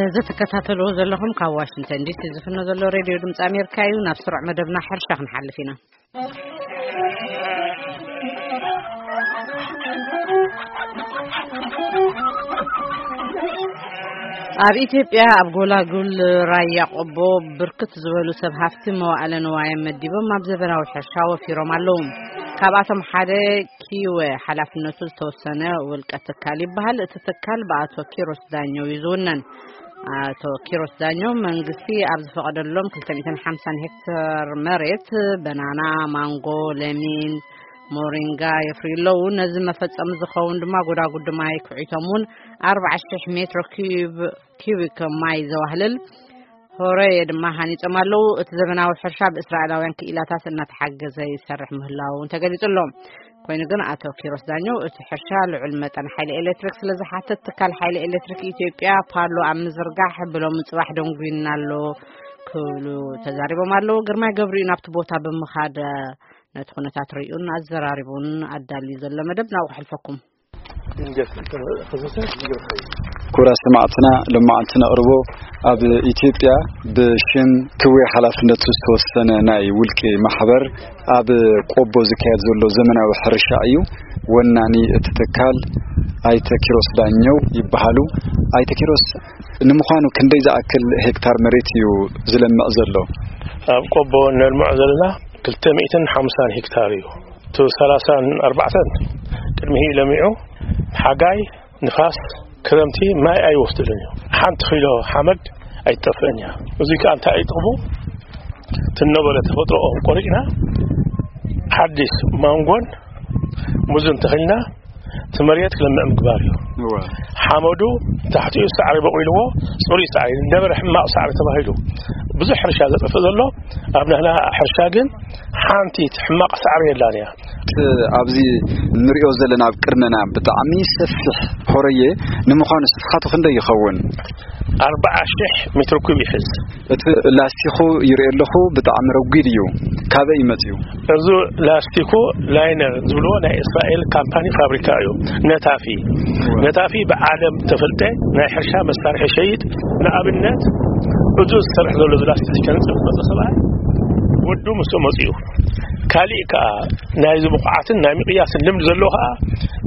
እዚ ትከታተልዎ ዘለኹም ካብ ዋሽንግተን ዲሲ ዝፍኖ ዘሎ ሬድዮ ድምፂ ኣሜሪካ እዩ። ናብ ስሩዕ መደብና ሕርሻ ክንሓልፍ ኢና። ኣብ ኢትዮጵያ ኣብ ጎላጉል ራያ ቆቦ ብርክት ዝበሉ ሰብ ሃፍቲ መዋእለ ንዋዮም መዲቦም ኣብ ዘበናዊ ሕርሻ ወፊሮም ኣለዉ። ካብኣቶም ሓደ ኪወ ሓላፍነቱ ዝተወሰነ ውልቀ ትካል ይበሃል። እቲ ትካል ብኣቶ ኪሮስ ዳኘው እዩ ዝውነን። ኣቶ ኪሮስ ዳኘው መንግስቲ ኣብ ዝፈቐደሎም ክልተ ሚእትን ሓምሳን ሄክተር መሬት በናና፣ ማንጎ፣ ለሚን፣ ሞሪንጋ የፍርዩ ኣለዉ። ነዚ መፈጸሚ ዝኸውን ድማ ጎዳጉዲ ማይ ክዒቶም እውን ኣርባዓ ሽሕ ሜትሮ ኪዩብ፣ ኪዩቢክ ማይ ዘዋህልል ሆረየ ድማ ሃኒጾም ኣለዉ። እቲ ዘበናዊ ሕርሻ ብእስራኤላውያን ክኢላታት እናተሓገዘ ይሰርሕ ምህላዉ እውን ተገሊጹ ኣሎ። ኮይኑ ግን ኣቶ ኪሮስ ዳኘው እቲ ሕርሻ ልዑል መጠን ሓይሊ ኤሌክትሪክ ስለ ዝሓትት ትካል ሓይሊ ኤሌክትሪክ ኢትዮጵያ ፓሎ ኣብ ምዝርጋሕ ብሎም ጽባሕ ደንጉይና ኣሎ ክብሉ ተዛሪቦም ኣለዉ። ግርማይ ገብሩ እዩ ናብቲ ቦታ ብምኻድ ነቲ ኩነታት ርእዩን ኣዘራሪቡን ኣዳልዩ ዘሎ መደብ ናብኡ ክሕልፈኩም። ኩቡራት ሰማዕትና፣ ሎማዓንቲ ነቕርቦ ኣብ ኢትዮጵያ ብሽም ክዌ ሓላፍነቱ ዝተወሰነ ናይ ውልቂ ማሕበር ኣብ ቆቦ ዝካየድ ዘሎ ዘመናዊ ሕርሻ እዩ። ወናኒ እቲ ትካል ኣይተ ኪሮስ ዳኘው ይበሃሉ። ኣይተ ኪሮስ፣ ንምዃኑ ክንደይ ዝኣክል ሄክታር መሬት እዩ ዝለምዕ ዘሎ? ኣብ ቆቦ ነልምዖ ዘለና ክልተ ሚእትን ሓምሳን ሄክታር እዩ። እቲ ሰላሳን ኣርባዕተን ቅድሚ ለሚዑ፣ ሓጋይ፣ ንፋስ፣ ክረምቲ ማይ ኣይወስድልን እዩ። ሓንቲ ኪሎ ሓመድ ኣይትጠፍእን እያ። እዚ ከኣ እንታይ እዩ ጥቕሙ? ትነበረ ተፈጥሮኦም ቆሪጽና ሓዲስ ማንጎን ሙዝን ተኺልና እቲ መሬት ክለምዕ ምግባር እዩ። እወ። ሓመዱ ታሕቲኡ ሳዕሪ በቑልዎ፣ ጽሩይ ሳዕሪ፣ ነበረ ሕማቕ ሳዕሪ ተባሂሉ ብዙሕ ሕርሻ ዘጥፍእ ዘሎ፣ ኣብ ናህና ሕርሻ ግን ሓንቲ ሕማቕ ሳዕሪ የላን እያ። እቲ ኣብዚ ንሪኦ ዘለና ኣብ ቅድመና ብጣዕሚ ሰፊሕ ሆረየ ንምዃኑ ስፍሓቱ ክንደይ ይኸውን? ኣርባዓ ሽሕ ሜትሮ ኩብ ይሕዝ። እቲ ላስቲኹ ይርኢ ኣለኹ፣ ብጣዕሚ ረጒድ እዩ። ካበይ እዩ መጺኡ? እዚ ላስቲኩ ላይነር ዝብልዎ ናይ እስራኤል ካምፓኒ ፋብሪካ እዩ። ነታፊ። ነታፊ ብዓለም ተፈልጠ ናይ ሕርሻ መሳርሒ ሸይጥ። ንኣብነት፣ እዚ ዝሰርሕ ዘሎ እዚ ላስቲክ ከንጽፍ መጸ ሰብኣይ ወዱ ምስ መጺኡ። ካሊእ ከኣ ናይዚ ብቑዓትን ናይ ምቕያስን ልምዲ ዘለዎ ከኣ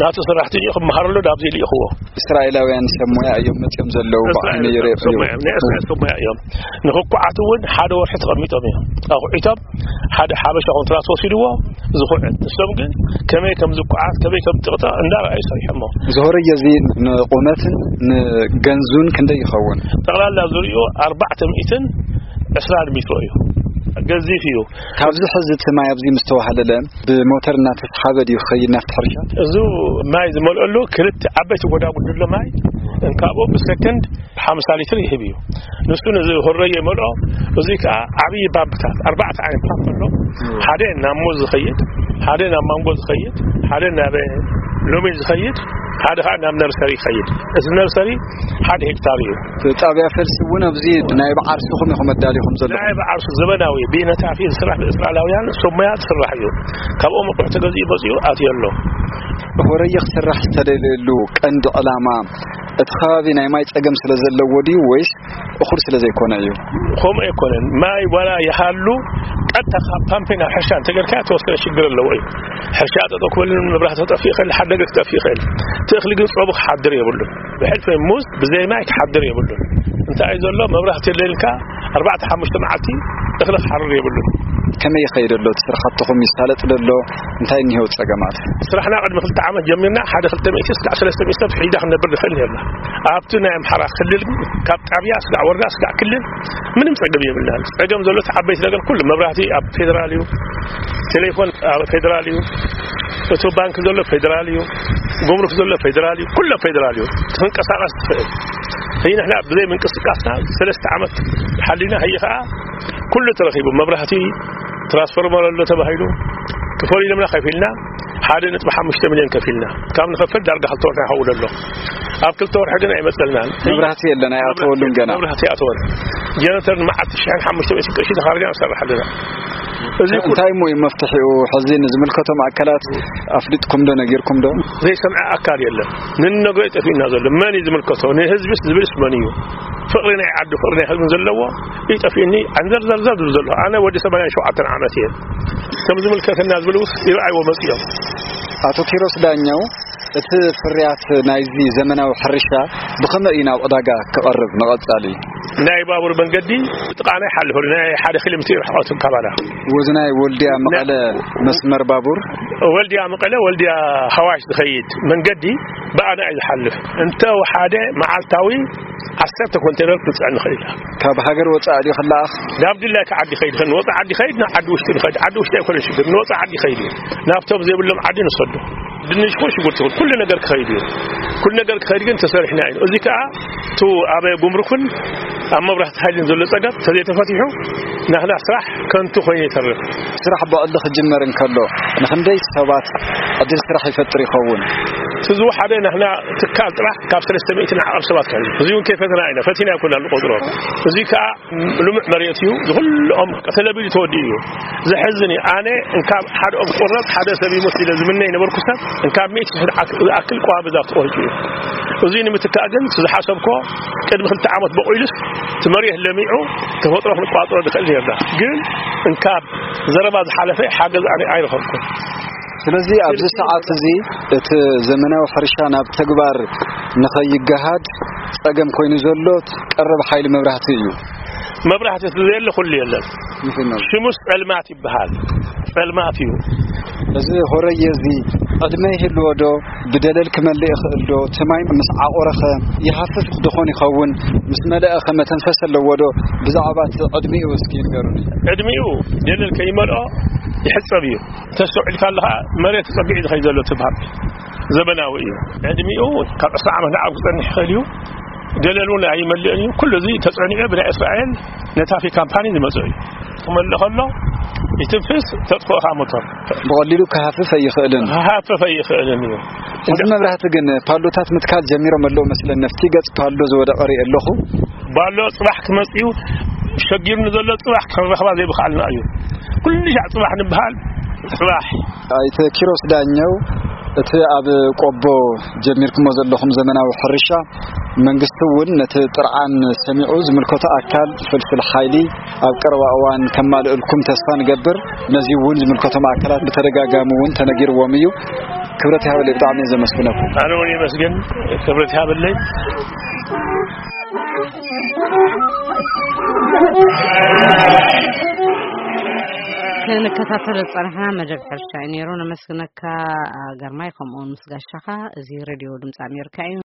ናቱ ሰራሕተኛኡ ክመሃረሉ ናብዚ ልኢኽዎ። እስራኤላውያን ሰብ ሞያ እዮም መጺኦም ዘለዉ። ብዓይነይ እስራኤል ይረኣዩ። ሰብ ሞያ እዮም። ናይ እስራኤል ሰብ ሞያ እዮም። ንኽኩዓት እውን ሓደ ወርሒ ተቐሚጦም እዮም። ኣኹዒቶም ሓደ ሓበሻ ኮንትራት ወሲድዎ ዝኹዕት። ንሶም ግን ከመይ ከም ዝኩዓት፣ ከመይ ከም ዝጥቕጠቕ እንዳረኣዩ ሰሪሖሞ። ዝሆረየ እዚ ንቑመትን ንገንዙን ክንደይ ይኸውን? ጠቕላላ ዝርእዩ ኣርባዕተ ሚእትን ዕስራን ሜትሮ እዩ። ገዚፍ እዩ። ካብዚ ሕዚ እቲ ማይ ኣብዚ ምስ ተዋህለለ ብሞተር እናተስሓበ ድዩ ክኸይድ ናብቲ ሕርሻ? እዚ ማይ ዝመልአሉ ክልተ ዓበይቲ ጎዳጉዲ ኣሎ ማይ። እንካብኡ ብሰከንድ ሓምሳ ሊትር ይህብ እዩ። ንሱ ነዚ ሆረየ ይመልኦ። እዚ ከኣ ዓብዪ ፓምፕታት፣ ኣርባዕተ ዓይነት ፓምፕ ኣሎ። ሓደ ናብ ሙዝ ዝኸይድ፣ ሓደ ናብ ማንጎ ዝኸይድ፣ ሓደ ናብ ሎሚን ዝኸይድ፣ ሓደ ከኣ ናብ ነርሰሪ ይኸይድ። እዚ ነርሰሪ ሓደ ሄክታር እዩ። ጣብያ ፈልሲ እውን ኣብዚ ናይ ብዓርሱኹም ኢኹም ኣዳሊኹም ዘለኹም? ናይ ብዓርሱ ዘበናዊ ብነታፊ ዝስራሕ ብእስራኤላውያን ሰብ ሞያ ዝስራሕ እዩ። ካብኦም ኣቑሑ ተገዚኡ መፂኡ ኣትዩ ኣሎ። ሆረየ ክስራሕ ዝተደልየሉ ቀንዲ ዕላማ እቲ ከባቢ ናይ ማይ ጸገም ስለ ዘለዎ ድዩ ወይስ እኹል ስለ ዘይኮነ እዩ? ከምኡ ኣይኮነን። ማይ ዋላ ይሃሉ ቀጥታ ካብ ፓምፕ ናብ ሕርሻ እንተገርካ ተወሰነ ሽግር ኣለዎ እዩ። ሕርሻ ጠጠው ክበልን መብራህቲ ክጠፍእ ይኽእል፣ ሓደ ነገር ክጠፍእ ይኽእል። እቲ እኽሊ ግን ጾሙ ክሓድር የብሉን። ብሕልፊ ሙዝ ብዘይ ማይ ክሓድር የብሉን። እንታይ እዩ ዘሎ? መብራህቲ የለልካ ኣርባዕተ ሓሙሽተ መዓልቲ እኽሊ ክሓርር የብሉን። ከመይ ይኸይድ ኣሎ እቲ ስራሕትኹም? ይሳለጥ ዶ ኣሎ? እንታይ እኒሄው ጸገማት? ስራሕና ቅድሚ ክልተ ዓመት ጀሚርና ሓደ ክልተ ሚእቲ እስካዕ ሰለስተ ሚእቲ ሰብ ሒዳ ክንነብር ንኽእል ነርና። ኣብቲ ናይ ኣምሓራ ክልል ግን ካብ ጣብያ እስካዕ ወረዳ እስካዕ ክልል ምንም ጸገም የብልናን። ጸገም ዘሎ እቲ ዓበይቲ ነገር ኩሉ መብራህቲ ኣብ ፌደራል እዩ፣ ቴሌፎን ኣብ ፌደራል እዩ፣ እቲ ባንክ ዘሎ ፌደራል እዩ፣ ጉምሩክ ዘሎ ፌደራል እዩ፣ ኩሎ ፌደራል እዩ። ክትንቀሳቐስ ትኽእል። ህይ ንሕና ብዘይ ምንቅስቃስና ሰለስተ ዓመት ሓሊና፣ ህይ ኸዓ ኩሉ ተረኺቡ፣ መብራህቲ፣ ትራንስፎርመር ኣሎ ተባሂሉ፣ ክፈሉ ኢሎምና ከፊልና፣ ሓደ ነጥቢ ሓሙሽተ ሚልዮን ከፊልና። ካብ ንኸፍል ዳርጋ ክልተ ወርሒ ይኸውን ኣሎ። ኣብ ክልተ ወርሒ ግን ኣይመጸልናን። መብራህቲ የለን፣ ኣይኣተወሉን ገና። መብራህቲ ኣይኣተወን። ጀነሬተር ንመዓልቲ ሽሕን ሓሙሽተ ሚእትን ቅርሺ ተኻርጅና ንሰርሕ ኣለና። እዚ እንታይ እሞ እዩ መፍትሒኡ? ሕዚ ንዝምልከቶም ኣካላት ኣፍሊጥኩም ዶ ነጊርኩም ዶ? ዘይሰምዐ ኣካል የለን። ንነገ ጠፊእና ዘሎ መን እዩ ዝምልከቶ? ንህዝብስ ዝብልስ መን እዩ? ፍቕሪ ናይ ዓዱ ፍቕሪ ናይ ህዝብን ዘለዎ እዩ ጠፊእኒ። ዓንዘርዘርዘር ዝብል ዘሎ ኣነ ወዲ ሰማንያን ሸውዓተን ዓመት እየ። ከም ዝምልከተና ዝብሉ ይርኣይዎ መፅዮም። ኣቶ ኪሮስ ዳኛው፣ እቲ ፍርያት ናይዚ ዘመናዊ ሕርሻ ብኸመይ እዩ ናብ ዕዳጋ ክቐርብ ንቐጻሊ? ናይ ባቡር መንገዲ ጥቓና ይሓልፍ፣ ናይ ሓደ ኪሎ ሜትር ርሕቐቱ ካባና። ወዚ ናይ ወልድያ መቐለ መስመር ባቡር? ወልድያ መቐለ፣ ወልድያ ሃዋሽ ዝኸይድ መንገዲ ብኣና እዩ ዝሓልፍ። እንተ ሓደ መዓልታዊ ዓሰርተ ኮንቴነር ክንፅዕን ንኽእል ኢና። ካብ ሃገር ወፃኢ ድዩ ክለኣኽ? ናብ ድላይካ ዓዲ ይኸይድ፣ ንወፃኢ ዓዲ ይኸይድ፣ ናብ ዓዲ ውሽጢ ንኸይድ። ዓዲ ውሽጢ ኣይኮነን ሽግር፣ ንወፃኢ ዓዲ ይኸይድ እዩ። ናብቶም ዘይብሎም ዓዲ ንሰዶ። ድንሽ ይኹን ሽጉርቲ ይኹን ኩሉ ነገር ክኸይድ እዩ። ኩሉ ነገር ክኸይድ ግን ተሰሪሕና እዩ። እዚ ከዓ እቲ ኣብ ጉምሩክን ኣብ መብራህቲ ሓይልን ዘሎ ፀገም ተዘይተፈቲሑ ናህና ስራሕ ከንቱ ኮይኑ ይተርፍ። ስራሕ ብቐልዲ ክጅመር እንከሎ ንኽንደይ ሰባት ዕድል ስራሕ ይፈጥር ይኸውን? እቲ ዝወሓደ ናህና ትካል ጥራሕ ካብ ሰለስተ ሚእቲ ንዓቐብ ሰባት ከህልዩ። እዚ እውን ከይፈተና ኢና፣ ፈቲና ኣይኮና ንቆፅሮ። እዚ ከዓ ልሙዕ መሬት እዩ። ዝኩልኦም ተለቢሉ ተወዲኡ እዩ። ዘሕዝን እዩ። ኣነ እንካብ ሓደ ኦም ቁረፅ ሓደ ሰብ ይሞት ኢለ ዝምነ ይነበርኩ ሰብ እንካብ ሚእቲ ሽሕ ዝኣክል ቆዋሚ ዛፍ ተቆሪፁ እዩ። እዚ ንምትካእ ግን ዝሓሰብኮ ቅድሚ ክልተ ዓመት በቂሉስ እቲ መሬት ለሚዑ ተፈጥሮ ክንቋፅሮ ንኽእል ነርና። ግን እንካብ ዘረባ ዝሓለፈ ሓገዝ ኣነ ኣይረኸብኩን። ስለዚ ኣብዚ ሰዓት እዚ እቲ ዘመናዊ ሕርሻ ናብ ተግባር ንኸይገሃድ ጸገም ኮይኑ ዘሎ ቀረብ ሓይሊ መብራህቲ እዩ። መብራህቲ እቲ ዘየለ ኩሉ የለን። ምንድን ነው? ሽሙስ ጸልማት ይበሃል። ጸልማት እዩ። እዚ ሆረየ እዚ ዕድመ ይህልዎ ዶ? ብደለል ክመልእ ይኽእል ዶ? እቲ ማይ ምስ ዓቑረኸ ይሃፍፍ ድኾን ይኸውን? ምስ መለእኸ መተንፈስ ኣለዎ ዶ? ብዛዕባ እቲ ዕድሚኡ እስኪ ንገሩኒ። ዕድሚኡ ደለል ከይመልኦ ይሕጸብ እዩ። ተስተውዒልካ ኣለኻ፣ መሬት ተጸጊዑ ዝኸይድ ዘሎ ትብሃል ዘበናዊ እዩ። ዕድሚኡ ካብ ዕስራ ዓመት ንዓብ ክጸንሕ ይኽእል እዩ። ደለል እውን ኣይመልእን እዩ። ኩሉ እዚ ተጸኒዑ ብናይ እስራኤል ነታፊ ካምፓኒ ዝመጽእ እዩ። ክመልእ ከሎ ይትንፍስ፣ ተጥፍኦ እኻ ሞተር። ብቐሊሉ ክሃፍፍ ኣይኽእልን። ክሃፍፍ ኣይኽእልን እዩ። እዚ መብራህቲ ግን ፓሎታት ምትካል ጀሚሮም ኣለዉ መስለኒ። ኣብቲ ገጽ ፓሎ ዝወደቐ ርኢ ኣለኹ። ባሎ ጽባሕ ክመጽእ እዩ። ሸጊሩኒ ዘሎ ጽባሕ ክንረኽባ ዘይብኽኣልና እዩ። ኩሉ ሻዕ ጽባሕ ንበሃል። ጽባሕ። ኣይተ ኪሮስ ዳኘው፣ እቲ ኣብ ቆቦ ጀሚርኩሞ ዘለኹም ዘመናዊ ሕርሻ፣ መንግስቲ እውን ነቲ ጥርዓን ሰሚዑ ዝምልከቶ ኣካል ፍልፍል ሓይሊ ኣብ ቀረባ እዋን ከማልእልኩም ተስፋ ንገብር። ነዚ እውን ዝምልከቶም ኣካላት ብተደጋጋሚ እውን ተነጊርዎም እዩ። ክብረት ይሃበለይ፣ ብጣዕሚ እየ ዘመስግነኩም። ኣነ እውን የመስግን። ክብረት ይሃበለይ። ክንከታተሎ ዝጸናሕና መደብ ሕርሻ እዩ ነይሩ። ነመስግነካ ግርማይ፣ ከምኡውን ምስ ጋሻኻ። እዚ ሬድዮ ድምፂ ኣሜሪካ እዩ።